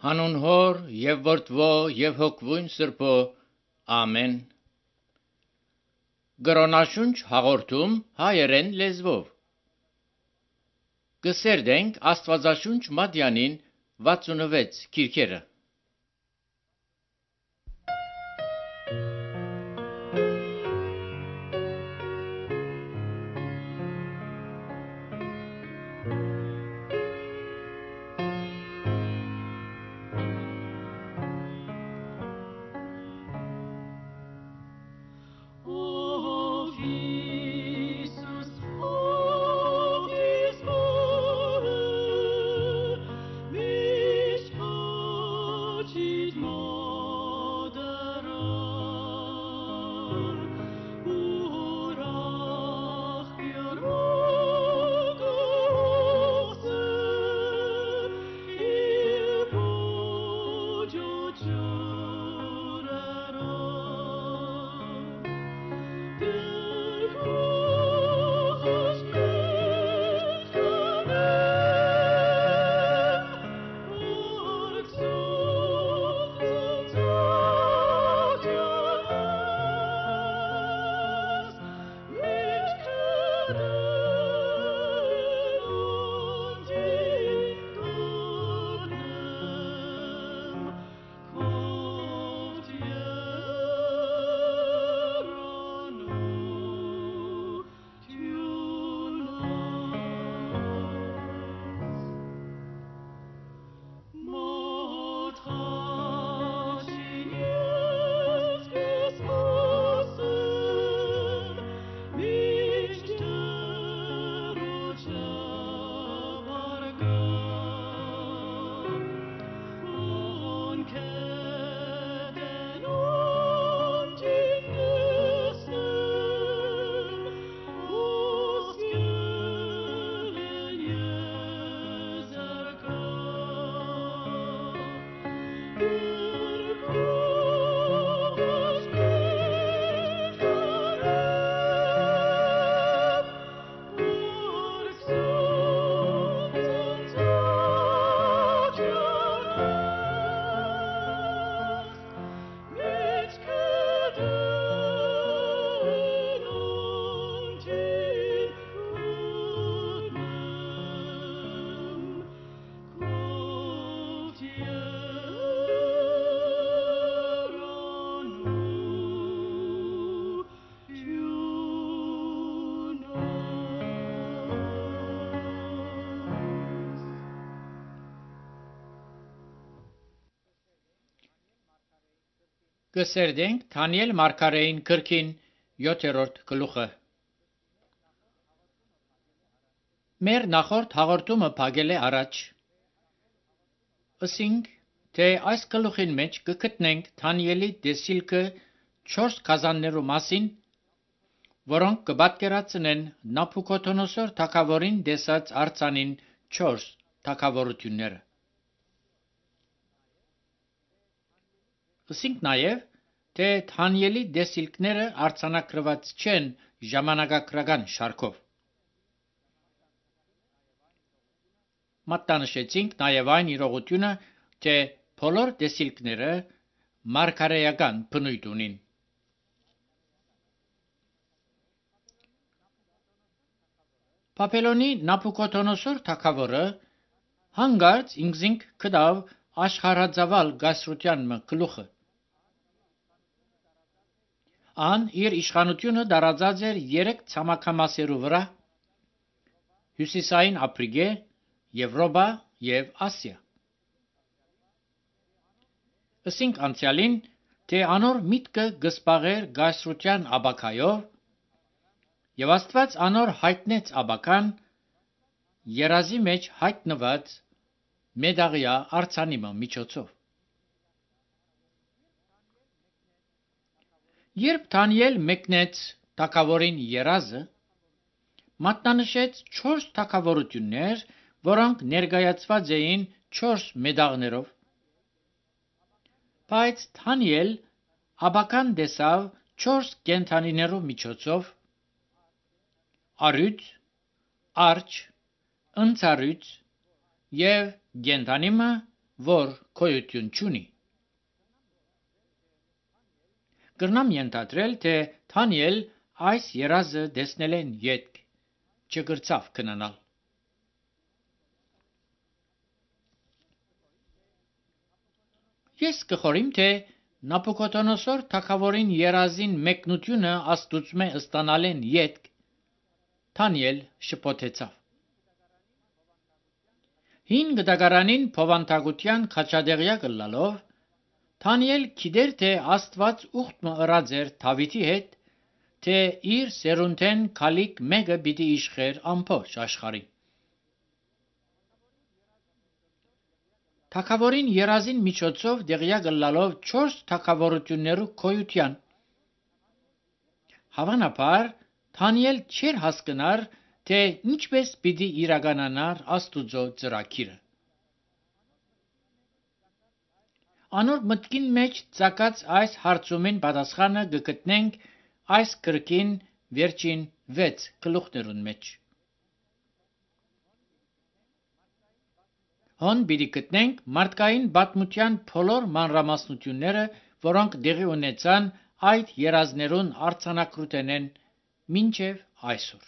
Հանուն Հոր եւ Որդվո եւ Հոգվույն Սրբո, ամեն։ Գրոնաշունչ հաղորդում հայերեն լեզվով։ Կսերդենք Աստվածաշունչ Մատյանին 66 քիրքերը։ Կսերդենք Դանիել մարգարեին գրքին 7-րդ գլուխը։ Մեր նախորդ հաղորդումը փակել է առաջ։ Ասինք, թե այս գլուխին մեջ կգտնենք Դանիելի դեսիլքը 4 գազաններու մասին, որոնք կպատկերացնեն Նաբուքոդոնոսոր թագավորին դեսած արձանին 4 թագավորությունները։ Ասինք նաև, թե Դանիելի դեսիլքները արձանագրված չեն ժամանակագրական շարքով։ Մատնանշեցինք նաև այն իրողությունը, թե բոլոր դեսիլքները մարգարեական բնույթ ունին։ Բաբելոնի Նաբուքոդոնոսոր թագավորը հանգարց ինքզինք գտավ աշխարհածավալ գասրության գլուխը։ Ան իր իշխանությունը տարածած էր 3 ցամաքամասերու վրա՝ Հյուսիսային Աֆրիկե, Եվրոպա եւ Ասիա։ Ասինք անցյալին, թե անոր միտքը գսպաղեր գասրության աբակայով, եւ Աստված անոր հայտնեց աբական երազի մեջ հայտնված մեդաղյա արձանիմը միջոցով։ Երբ Դանիել մեկնեց թագավորին երազը, մատնանշեց 4 թագավորություններ, որոնք ներկայացված էին 4 մեդաղներով։ Բայց Դանիել աբական տեսավ 4 կենդանիներու միջոցով՝ արյուծ, արջ, ընձառյուծ եւ կենդանիմը որ գոյություն չունի։ Կրնամ ենթադրել, թե Դանիել այս երազը տեսնելեն ետք չգրցավ քնանալ։ Ես կխորիմ, թե Նաբուկոդոնոսոր թագավորին երազին մեկնությունը Աստուծմե ստանալեն ետք Դանիել շփոթեցավ։ Հին գդագարանին փովանտագության խաչադեղյակ լալով Դանիել գիտեր, թե Աստված ուխտը ըրած էր Դավիթի հետ, թե իր սերունդեն քալիք մեկը պիտի իշխեր ամբողջ աշխարհին։ Թագավորին երազին միջոցով դեղյակ լալով 4 թագավորություններու գոյության հավանաբար Դանիել չէր հասկնար, թե ինչպես պիտի իրականանար Աստուծո ծրագիրը։ Անոր մտքին մեջ ցակած այս հարցումին պատասխանը կգտնենք այս գրքին վերջին 6 գլուխներուն մեջ։ Հոն պիտի գտնենք մարդկային պատմության բոլոր մանրամասնությունները, որոնք դեղի ունեցան այդ երազներուն արձանագրութենեն մինչև այսօր։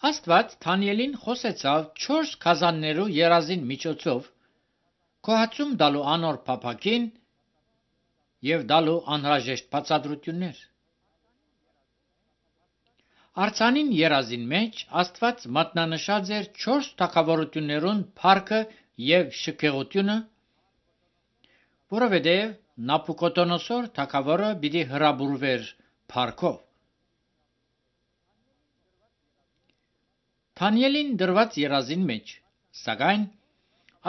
Աստված Դանիելին խոսեցավ 4 քազաններու երազին միջոցով, կոհացում տալու անոր փափակին եւ տալու անհրաժեշտ բացատրություններ։ Արցանին երազին մեջ Աստված մատնանշած էր 4 թագավորություններուն փառքը եւ շքեղությունը, որովհետեւ Նաբուկոդոնոսոր թագավորը պիտի հրաբուրվեր փառքով։ Դանիելին դրված երազին մեջ, սակայն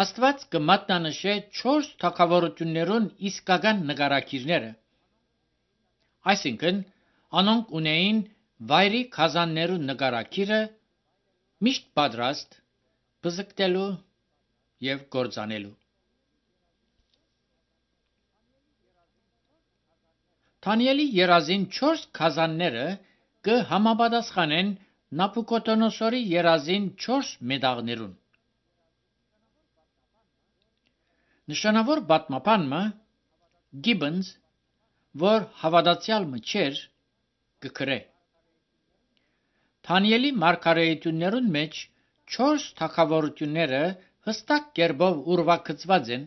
Աստված կմատնանշե 4 թագավորություններուն իսկական նկարագիրները, այսինքն անոնք ունեին վայրի քազաններու նկարագիրը միշտ պատրաստ բզկտելու եւ կործանելու։ Դանիելի երազին 4 քազանները կհամապատասխանեն Նաբուկոդոնոսորի երազին 4 մետաղներուն։ Նշանավոր պատմաբանը Gibbons, որ հավատացյալ չէր, կգրե. Դանիելի մարգարեություններուն մեջ 4 թագավորությունները հստակ կերպով ուրվագծված են,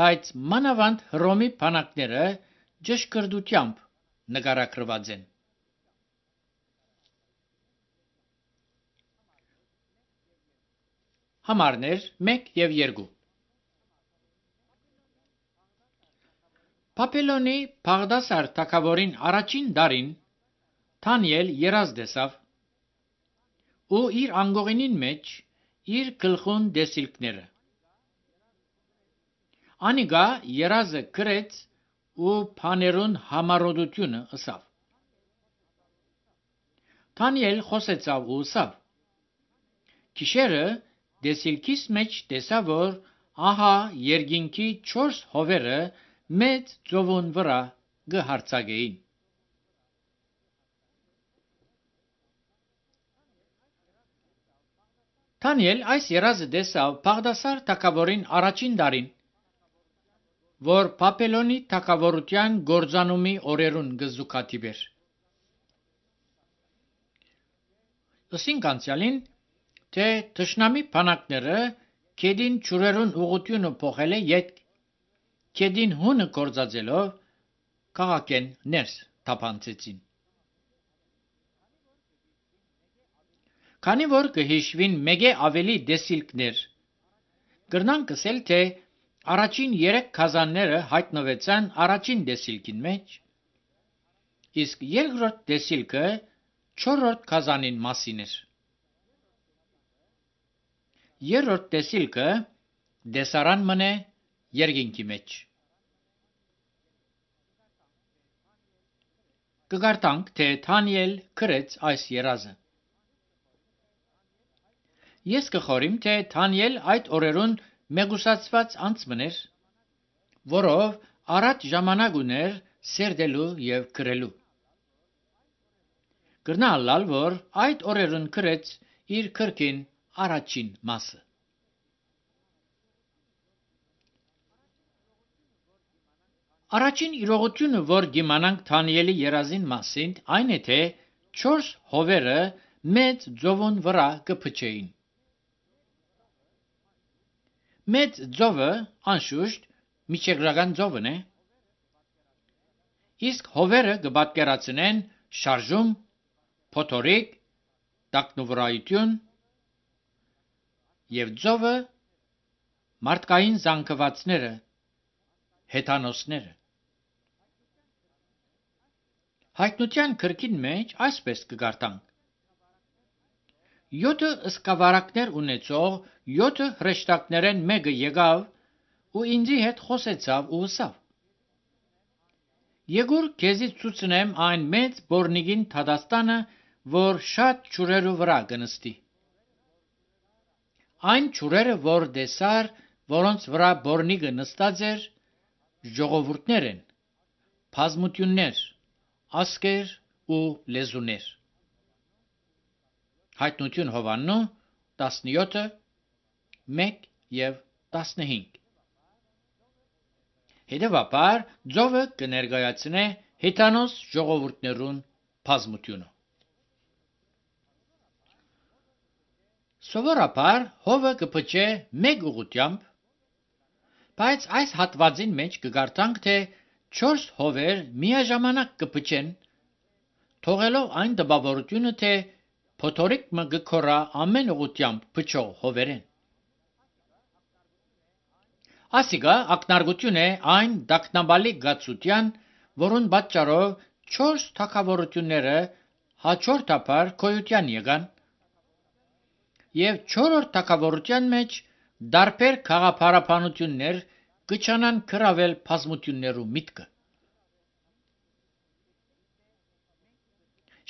բայց մանավանդ Հռոմի բանակները ճշգրտությամբ նկարագրված են։ Համարներ 1 եւ 2 Բաբելոնի Բաղդասար թագավորին առաջին դարին Դանիել երազ տեսավ ու իր անգողինին մեջ իր գլխուն դեսիլքները։ Անիգա երազը գրեց ու բաներուն համառոդությունը ըսավ։ Դանիել խոսեցավ ու ըսավ. Գիշերը դեսիլքիս մեջ տեսա, որ ահա երկինքի 4 հովերը մեծ ծովուն վրա գհարցակեին։ Դանիել այս երազը տեսավ Բաղդասար թագավորին առաջին դարին, որ Բաբելոնի թագավորության գործանումի օրերուն գզուկատիբեր։ Ըսինք անցյալին, թե թշնամի բանակները քեդին ճուրերուն ուղությունը փոխել է յետ քեդին հունը կործածելով քաղաքեն ներս թափանցեցին։ Քանի որ կհիշվին մեկ ավելի դեսիլքներ, կրնանք ասել, թե առաջին 3 քազանները հայտնվեցան առաջին դեսիլքին մեջ, իսկ երկրորդ դեսիլքը 4-րդ քազանին մասին էր։ Երրորդ դեսիլքը դեսարան մնե երկինքի մեջ։ Կգարտանք, թե Դանիել գրեց այս երազը։ Ես կխորիմ, թե Դանիել այդ օրերուն մեգուսացված անցմներ, որով առաջ ժամանակ ուներ սերդելու եւ գրելու։ Գրնալալ, որ այդ օրերուն գրեց իր քրքին առաջին մասը։ Առաջին իրողությունը, որ դիմանանք Դանիելի երազին մասին, այն է թե 4 հովերը մեծ ձողուն վրա կփչեին։ Մեծ ձողը անշուշտ միջերգրական ձողն է, իսկ հովերը կպատկերացնեն շարժում, փոթորիկ, տակնուվրայություն եւ ձողը մարդկային զանգվածները, հեթանոսները։ Հայտնության գրքին մեջ այսպես կգարտանք. 7 սկավառակներ ունեցող 7 հրեշտակներեն մեկը եկավ ու ինձի հետ խոսեցավ ու ասավ. Եկուր քեզի ցուցնեմ այն մեծ բորնիգին Թադաստանը, որ շատ ճուրերու վրա կնստի։ Այն ճուրերը, որ դեսար, որոնց վրա բորնիգը նստած էր, ժողովուրդներ են, բազմություններ, ասկեր ու լեզուներ։ Հայտնություն Հովաննու 17, 1 և 15։ Հետևաբար ձողը կներկայացնե հեթանոս ժողովուրդներուն բազմությունը։ Սովորաբար հովը կփչե մեկ ուղղությամբ, բայց այս հատվածին մեջ կգարտանք, թե 4 հովեր միաժամանակ կփչեն, թողելով այն տպավորությունը, թե փոթորիկը կգորա ամեն ուղղությամբ փչող հովերեն։ Ասիկա ակնարկություն է այն տագնապալի գացության, որուն պատճառով 4 թագավորությունները հաջորդաբար գոյության եկան, և 4-րդ թագավորության մեջ տարբեր քաղաքապարապանություններ կչանան գրավել բազմություններու միտքը։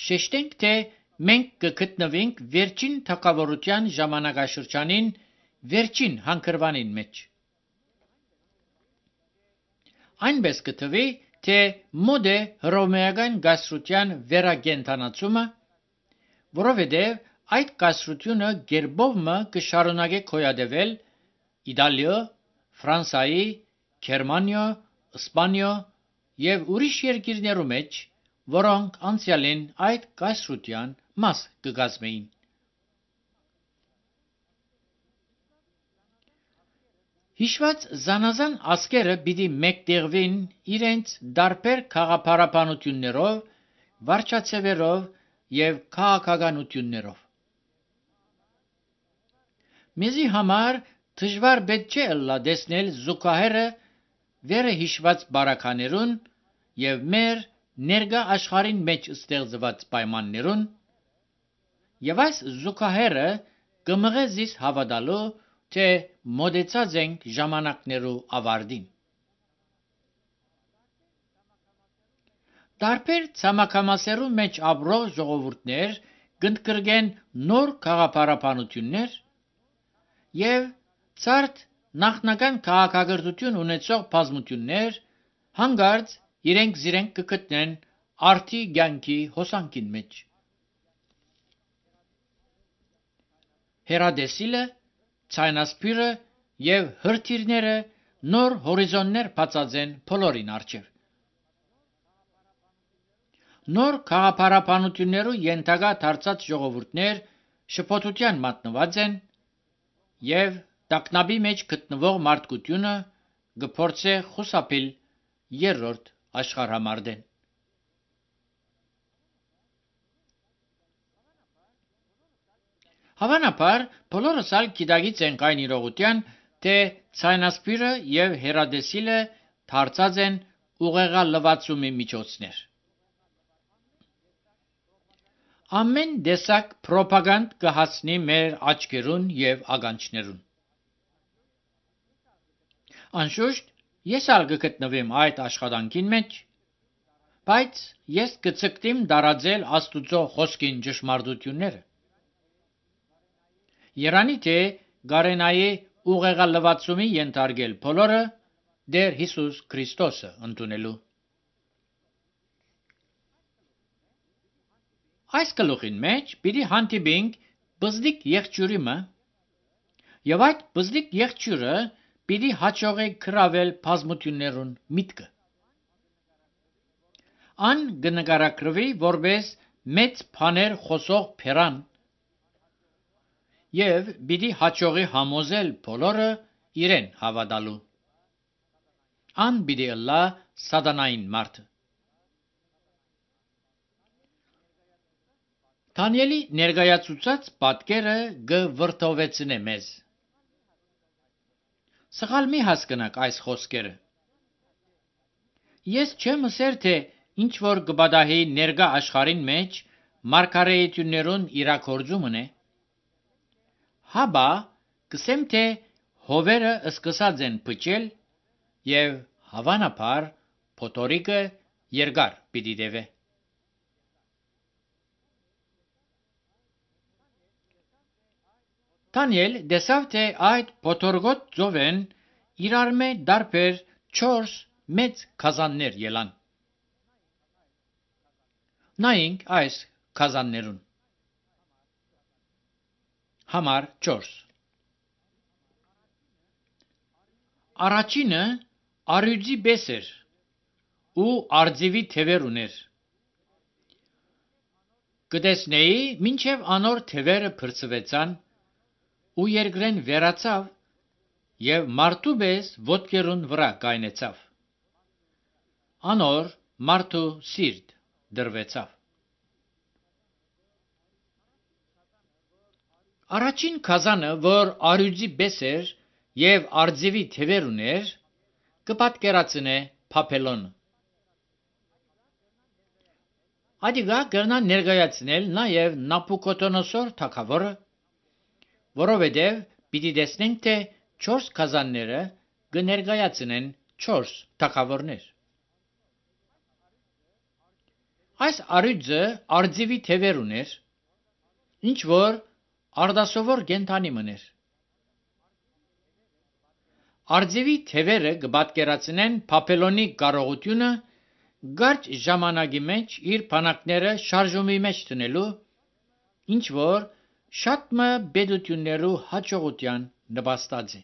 Շեշտենք, թե մենք կգտնվենք վերջին թագավորության ժամանակաշրջանին վերջին հանգրվանին մեջ։ Այնպես կթվի, թե մոտ է հռոմեական կայսրության վերակենդանացումը, որովհետև այդ կայսրությունը գերբովմը կշարունակե գոյատևել Իտալիա, Ֆրանսիայի, Գերմանիա, Իսպանիա և ուրիշ երկիրներու մեջ, որոնք անցյալին այդ կայսրության մաս կկազմեին։ Հիշված զանազան ազգերը պիտի մեկտեղվին իրենց տարբեր քաղաքապարապանություններով, վարչացևերով և քաղաքականություններով։ Մեզի համար դժվար պետք չէ ըլլա տեսնել զուգահեռը վերը հիշված բարականերուն և մեր ներկա աշխարհին մեջ ստեղծված պայմաններուն, և այս զուգահեռը կմղե զիս հավատալու, թե մոտեցած ենք ժամանակներու ավարտին։ Տարբեր ցամաքամասերու մեջ ապրող ժողովուրդներ կընդգրկեն նոր քաղաքապարապանություններ և ցարտ նախնական քաղաքակրթություն ունեցող բազմություններ հանկարծ իրենք կգտնեն արդի կյանքի հոսանքին մեջ։ Հերադեսիլը, ցայնասպիրը և հրթիռները նոր հորիզոններ բացած են բոլորին առջև։ Նոր քաղաքապարապանություններու ենթակա դարձած ժողովուրդներ շփոթության մատնված են և տագնապի մեջ գտնվող մարդկությունը կփորձե խուսափել երրորդ աշխարհամարտեն։ Հավանաբար բոլորս ալ գիտակից ենք այն իրողության, թե ցայնասպիրը և հերադեսիլը դարձած են ուղեղալվացումի միջոցներ։ Ամեն տեսակ պրոպագանդ կհասնի մեր աչքերուն և ականջներուն։ Անշուշտ, ես ալ կգտնվեմ այդ աշխատանքին մեջ, բայց ես կձգտիմ տարածել Աստուծո խոսքին ճշմարտությունները։ Երանի թե կարենայի ուղեղալվացումի ենթարկել բոլորը Տեր Հիսուս Քրիստոսը ընդունելու։ Այս գլուխին մեջ պիտի հանդիպենք բզդիկ եղջյուրիմը, Եվ այդ բզդիկ եղջյուրը պիտի հաջողի գրավել բազմություններուն միտքը։ Ան կնկարագրվի որպես մեծ բաներ խոսող փերան եւ պիտի հաջողի համոզել բոլորը իրեն հավատալու։ Ան պիտի ըլլա սատանային մարդը։ Դանիելի ներկայացուցած պատկերը կվրդովեցնե մեզ։ Սխալ մի հասկնաք այս խոսքերը։ Ես չեմ ասեր, թե ինչ որ կպատահի ներկա աշխարհին մեջ մարգարեություններուն իրագործումն է։ Հաբա կսեմ, թե հովերը սկսած են փչել եւ հավանաբար փոթորիկը երկար պիտի տևե։ Դանիել տեսավ, թե այդ փոթորկոտ ծովեն իրար մե դարբեր 4 մեծ քազաններ ելան։ Նայենք այս քազաններուն։ Համար 4։ Առաջինը արյուծի պես էր ու արձիվի թևեր ուներ։ Կտեսնեի մինչև անոր թևերը փրծվեցան ու երկրեն վերացավ եւ մարդու պես ոտքերուն վրա կայնեցավ։ Անոր մարդու սիրտ դրվեցավ։ Առաջին քազանը, որ արյուծի պես էր եւ արձիվի թևեր ուներ, կպատկերացնե Բաբելոնը։ Ադիգա կրնան ներկայացնել նաեւ Նաբուկոդոնոսոր թագավորը, որովհետև պիտի տեսնենք, թե 4 քազանները կներկայացնեն 4 թագավորներ։ Այս արյուծը արձիվի թևեր ուներ, ինչ որ արդասովոր կենդանի մներ։ Արձիվի թևերը կպատկերացնեն Բաբելոնի կարողությունը կարճ ժամանակի մեջ իր բանակները շարժումի մեջ տնելու, ինչ որ շատ մը պետություններու հաջողության նպաստած է։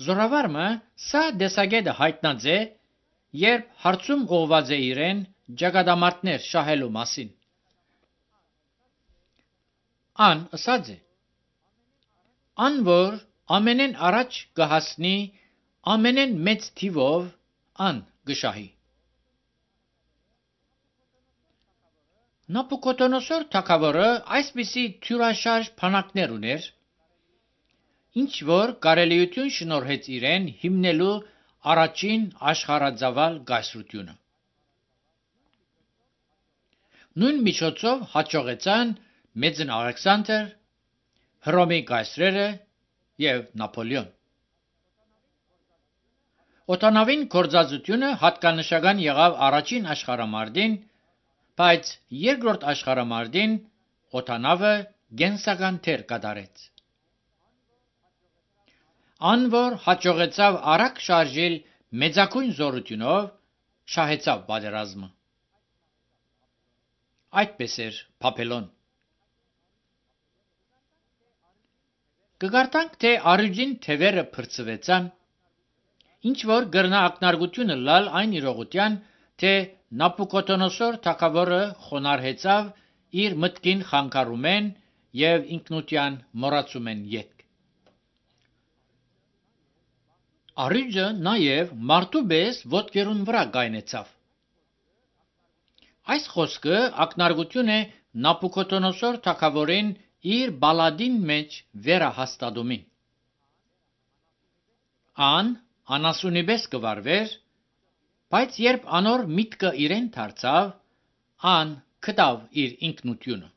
Զորավարմը սա դեսագետը հայտնած է, երբ հարցում ուղված է իրեն ճակատամարտներ շահելու մասին։ Ան ասած է. Ան որ ամենեն առաջ կհասնի ամենեն մեծ թիվով ան գշահի։ Նաբուկոդոնոսոր թագավորը այսպիսի թյուրաշարժ բանակներ ուներ, ինչ որ կարելիություն շնորհեց իրեն հիմնելու առաջին աշխարհածավալ կայսրությունը։ Նույն միջոցով հաջողեցան Մեծն Ալեքսանդր, Հռոմի կայսրերը եւ Նապոլեոն։ Օդանավին գործածությունը հատկանշական եղավ առաջին աշխարհամարտին, բայց երկրորդ աշխարհամարտին օդանավը գենսական դեր կատարեց։ Ան որ հաջողեցավ արագ շարժել մեծագույն զորությունով, շահեցավ պատերազմը։ Այդպես էր Բաբելոն։ Կգարտանք, թե արյուծին թևերը փրծվեցան, ինչ որ գրնա ակնարկությունը լալ այն իրողության, թե Նաբուկոդոնոսոր թագավորը խոնարհեցավ իր մտքին խանգարումեն եւ ինքնության մոռացումեն ետք։ Արյուծը նաեւ մարդու պես ոտքերուն վրա կայնեցավ։ Այս խոսքը ակնարկություն է Նաբուկոդոնոսոր թագավորին իր բալադին մեջ վերահաստատումին։ Ան անասունի պես կվարվեր, բայց երբ անոր միտքը իրեն դարձավ, ան գտավ իր ինքնությունը։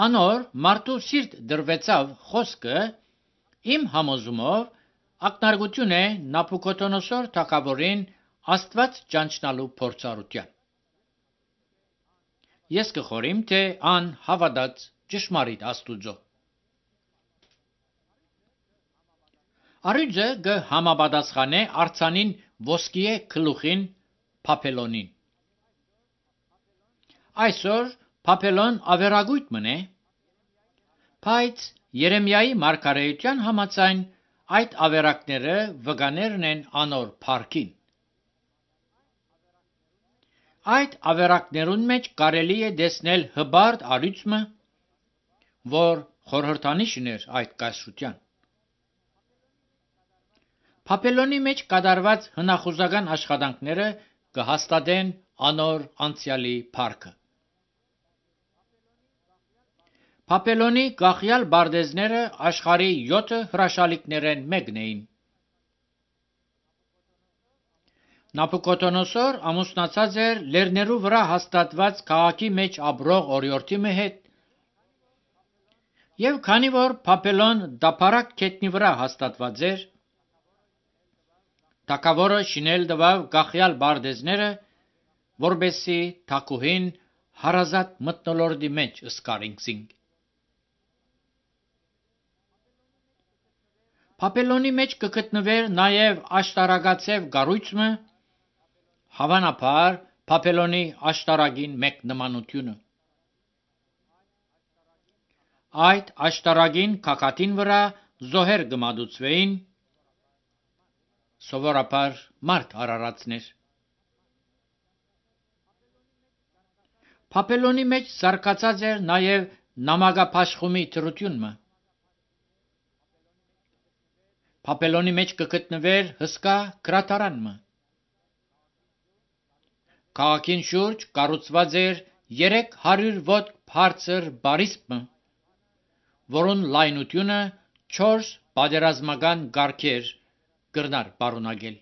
Անոր մարդու սիրտ դրվեցավ խոսքը իմ համոզումով ակնարկություն է Նաբուկոդոնոսոր թագավորին Աստված ճանչնալու փորձառության։ Ես կխորիմ, թե ան հավատաց ճշմարիտ Աստուծո։ Արյուծը կհամապատասխանե արձանին ոսկիե գլուխին Բաբելոնին։ Այսօր Փափելոն ավերագույտ մնե, բայց Երեմիայի մարգարեության համաձայն այդ ավերակները վկաներն են անոր փառքին։ Այդ ավերակներուն մեջ կարելի է տեսնել հբարդ արույցը, որ խորհրդանիշն էր այդ կայսրության։ Փափելոնի մեջ կատարված հնախուզական աշխատանքները կհաստատեն անոր անցյալի փառքը։ Փափելոնի գախյալ բարդեզները աշխարհի 7 հրաշալիքներեն մեկն էին։ Նաբուկոդոնոսոր ամուսնացած էր լեռներու վրա հաստատված քաղաքի մեջ ապրող օրիորդի հետ, եւ քանի որ Փափելոն դափարակ գետնի վրա հաստատված էր, թագավորը շինել տվավ գախյալ բարդեզները, որբեսի թագուհին հարազատ մթնոլորտի մեջ սկարինքսինք։ Փափելոնի մեջ կգտնվեր նաև աշտարակացև կառույցը, հավանաբար Փափելոնի աշտարակին մեկ նմանությունը։ Այդ աշտարակին քակատին վրա զոհեր կմատուցվեին, սովորաբար մարդ արարածներ։ Փափելոնի մեջ զարգացած էր նաև նամակապաշխումի թրությունը։ Փափելոնի մեջ կգտնվեր հսկա գրադարանը։ Քաղաքին շուրջ կառուցված էր 300 ոտք բարձր բարիսպը, որոն լայնությունը 4 պատերազմական կարգեր կրնար պարունակել։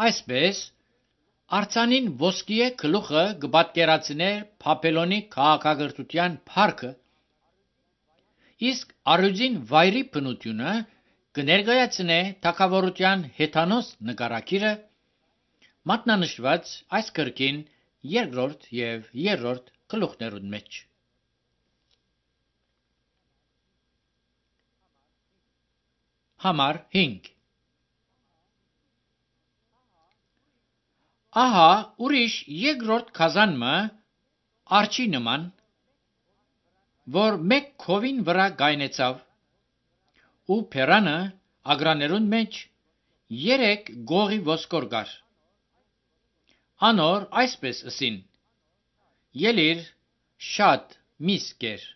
Այսպես արձանին ոսկիե գլուխը կպատկերացներ Փափելոնի քաղաքակրթության փառքը, իսկ առյուծին վայրի բնությունը կներկայացնե թագավորության հեթանոս նկարագիրը, մատնանշված այս գրքին 2-րդ եւ 3-րդ գլուխներուն մեջ։ Համար 5 Ահա ուրիշ երկրորդ քազանը արջի նման, որ մեկ քովին վրա գայնեցավ, ու փերանը ագրաներուն մեջ 3 գողի ոսկոր կար։ Անոր այսպես ըսին. ելիր շատ միս կեր։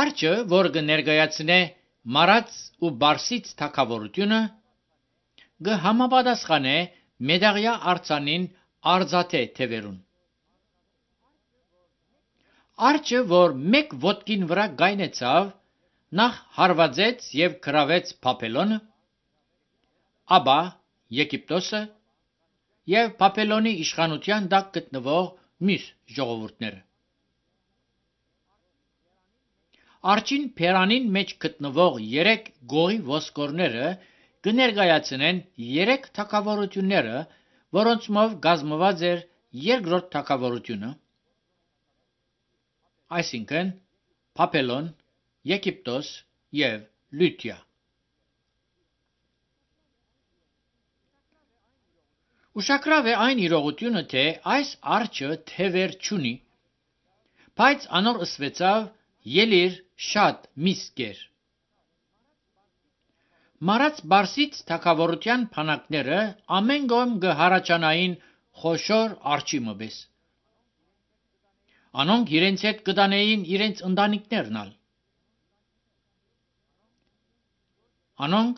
Արջը, որ կներկայացնե մարած ու բարսից թագավորությունը, կհամապատասխանե մեդաղյա արձանին արձատե թևերուն։ Արջը, որ մեկ ոտքին վրա գայնեցավ, նախ հարվածեց եւ գրավեց Փափելոնը, ապա Եգիպտոսը եւ Փափելոնի իշխանության տակ գտնվող մյուս ժողովուրդները։ Արջին փերանին մեջ գտնվող 3 գողի ոսկորները կներկայացնեն 3 թագավորությունները, որոնցմով կազմված էր երկրորդ թագավորությունը, այսինքն Փափելոն, Եգիպտոս եւ Լյուդիա։ Ուշագրավ է այն իրողությունը, թե այս արջը թևեր չունի, բայց անոր ըսվեցավ ելիր շատ միս կեր։ Մարած բարսից թագավորության փանակները ամեն կողմ կհարաճանային խոշոր արջի մպես։ Անոնք իրենց հետ կտանեին իրենց ընտանիքներն ալ։ Անոնք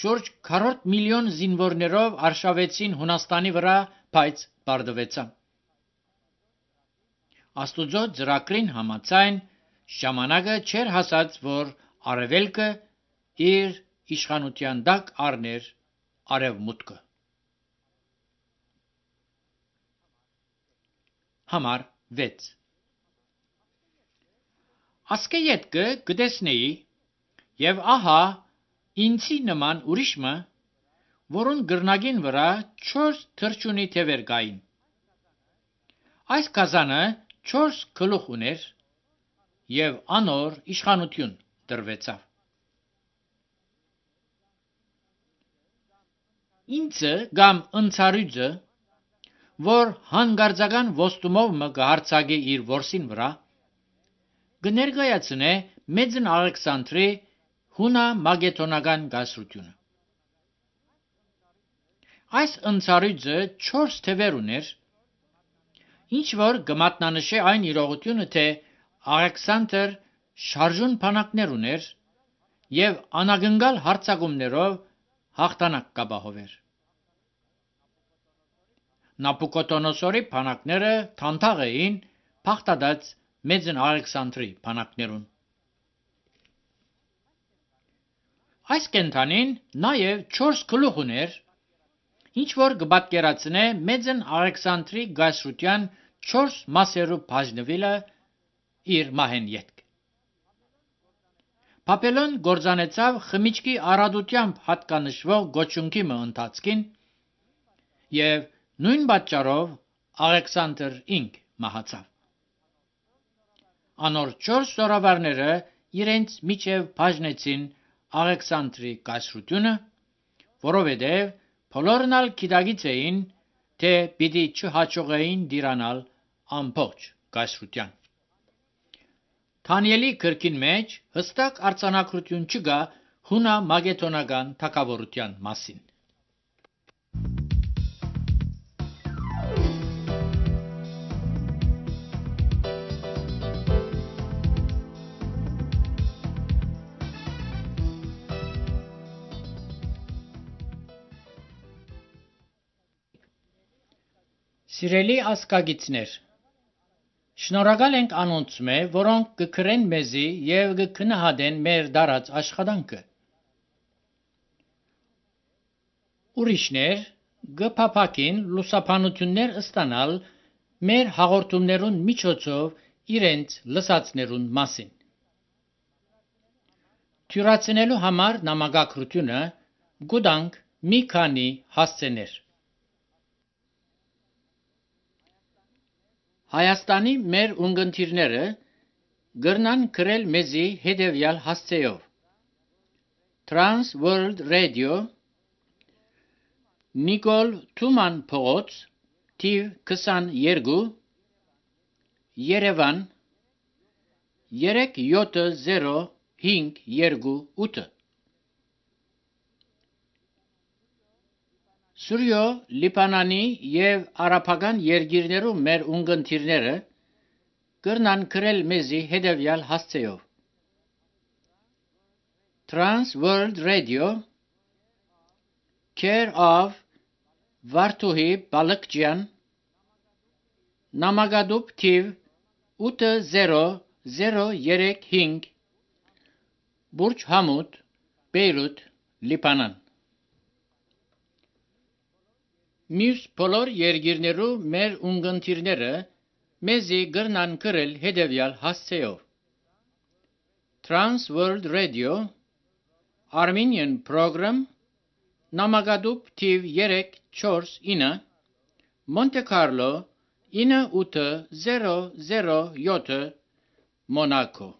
շուրջ 4 միլիոն զինվորներով արշավեցին Հունաստանի վրա, բայց պարտվեցան։ Աստուծո ծրագրին համաձայն ժամանակը չէր հասած, որ արևելքը իր իշխանության տակ առներ արևմուտքը։ Համար 6 Ասկեյետքը կտեսնեի, եւ ահա ինձի նման ուրիշը, որուն գրնագին վրա 4 թրջունի թևեր կային։ Այս գազանը 4 գլուխ ուներ, եւ անոր իշխանություն տրվեցավ։ ինձը կամ ընցարյուծը, որ հանգարձական ոստումով մը կհարցագի իր որսին վրա, կներկայացնե մեծն Ալեքսանդրի հունա մագետոնական գասրությունը։ Այս ընցարյուծը 4 թևեր ուներ, ինչ որ կմատնանշե այն իրողությունը, թե Ալեքսանդր շարժուն բանակներ ուներ և անագնգալ հարձակումներով հաղթանակ կապահովեր։ Նաբուկոդոնոսորի բանակները թանթաղ էին փախտած մեծն Ալեքսանդրի բանակներուն։ Այս կենդանին նաև 4 գլուխ ուներ, ինչ որ կպատկերացնե մեծն Ալեքսանդրի գայսրության 4 մասերու բաժնվելը իր մահեն ետք։ Բաբելոն գործանեցավ խմիչքի առատությամբ հատկանշվող գոչունքի մը ընթացքին և նույն պատճառով Ալեքսանդր ինք մահացավ։ Անոր 4 զորավարները իրենց միջև բաժնեցին Ալեքսանդրի կայսրությունը, որովհետև բոլորն ալ գիտակից էին, թե պիտի չհաջողեին տիրանալ ամբողջ կայսրության։ Դանիելի գրքին մեջ հստակ արձանագրություն չկա հունա մագետոնական թագավորության մասին։ Սիրելի ազգագիցներ, շնորհակալ ենք անոնցմե, որոնք կգրեն մեզի և կգնահատեն մեր դարած աշխատանքը։ Ուրիշներ կփափակին լուսաբանություններ ստանալ մեր հաղորդումներուն միջոցով իրենց լսածներուն մասին։ Թյուրացնելու համար նամակագրությունը գուտանք մի քանի հասցեներ։ Հայաստանի մեր ունգընտիրները գրնան գրել մեզի հետևյալ հասցեով. Trans World Radio, Նիկոլ Թուման փողոց, թիվ 22, Երևան 37058 Սուրյո Լիբանանի և արաբական երկիրներու մեր ունգընտիրները գրնան գրել մեզի հետևյալ հասցեով. Trans World Radio, Care of Վարդուհի Բալկջյան, Նամակադուբ թիվ 80035, Բուրջ Համուդ, Բեյրութ, Լիբանան։ Մյուս բոլոր երկիրներու մեր ունգընտիրները մեզի գրնան գրել հետևյալ հասցեով. Trans World Radio, Armenian Program, Նամակադուբ թիվ 349, Monte Carlo 9807, Monaco։